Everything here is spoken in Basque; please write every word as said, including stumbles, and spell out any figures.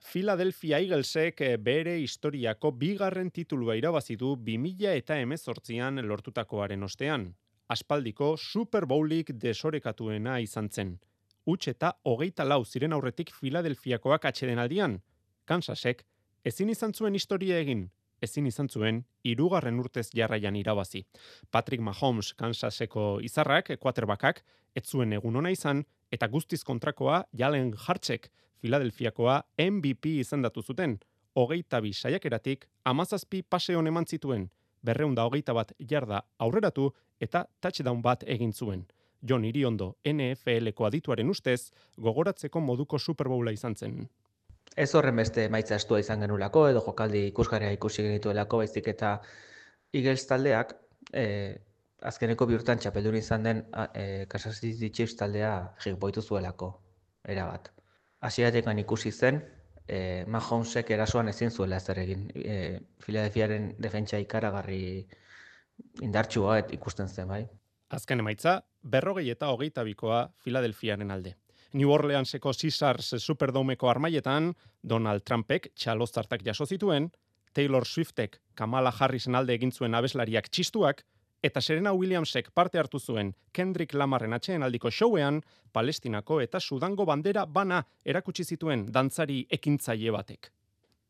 Philadelphia Eaglesek bere historiako bigarren titulua irabazi du bi mila hemezortzian lortutakoaren ostean. Aspaldiko Super Bowlik desorekatuena izan zen. Huts eta hogeita lau ziren aurretik Philadelphiakoak atsedenaldian. Kansasek ezin izan zuen historia egin, ezin izan zuen hirugarren urtez jarraian irabazi. Patrick Mahomes Kansaseko izarrak, quarterbackak, ez zuen egun ona izan, eta guztiz kontrakoa Jalen Hurtsek Philadelphiakoa M V P izendatu zuten. Hogeita bi saiakeratik hamazazpi pase on eman zituen, berrehun eta hogeita bat jarda aurreratu eta touchdown bat egin zuen. Jon Iriondo N F L-ko adituaren ustez, gogoratzeko moduko Super Bowla izan zen. Ez horren beste emaitza estua izan genulako, edo jokaldi ikusgarria ikusi genituelako, baizik eta Eagles taldeak, eh, azkeneko bi urtean txapeldun izan den eh, Kansas City Chiefs taldea jigboitu zuelako, erabat. Hasieratik ikusi zen, eh, Mahomesek erasoan ezin zuela ezer egin. Eh, Philadelphiaren defentsa ikaragarri indartsua ikusten zen, bai. Azken emaitza, berrogei eta hogeita bikoa Philadelphiaren alde. New Orleanseko Caesars Superdomeko armaietan, Donald Trumpek txaloztartak jaso zituen, Taylor Swiftek Kamala Harrisen alde egin zuen abeslariak txistuak, eta Serena Williamsek parte hartu zuen Kendrick Lamarren atsedenaldiko showean, Palestinako eta Sudango bandera bana erakutsi zituen dantzari ekintzaile batek.